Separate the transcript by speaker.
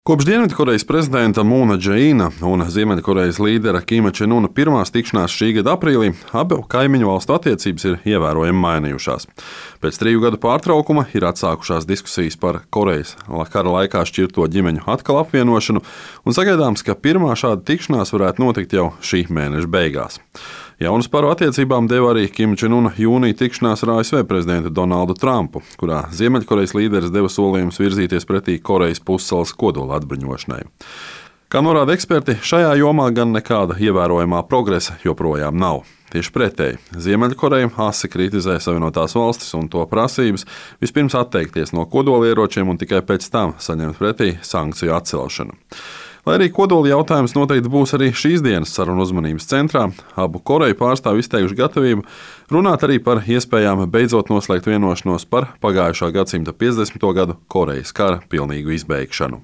Speaker 1: Kopš Dienvidkorejas prezidenta Mūna Džeīna un Ziemeļkorejas līdera Kima Čen Una pirmās tikšanās šī gada aprīlī abu kaimiņu valstu attiecības ir ievērojami mainījušās. Pēc 3 gadu pārtraukuma ir atsākušās diskusijas par Korejas kara laikā šķirto ģimeņu atkal apvienošanu, un sagaidāms, ka pirmā šāda tikšanās varētu notikt jau šī mēneša beigās. Jaunas paru attiecībām deva arī Kima Čen Una jūnija tikšanās ar ASV prezidentu Donaldu Trumpu, kurā Ziemeļkorejas līderis deva solījumus virzīties pretī Korejas pussalas kodola atbruņošanai. Kā norāda eksperti, šajā jomā gan nekāda ievērojamā progresa joprojām nav. Tieši pretēji, Ziemeļkoreja asi kritizē Savienotās valstis un to prasības vispirms atteikties no kodolieročiem un tikai pēc tam saņemt pretī sankciju atcelšanu. Lai arī kodola jautājums noteikti būs arī šīs dienas sarunu uzmanības centrā, abu Koreju pārstāvji izteikuši gatavību runāt arī par iespējām beidzot noslēgt vienošanos par pagājušā gadsimta 50. gadu Korejas kara pilnīgu izbeigšanu.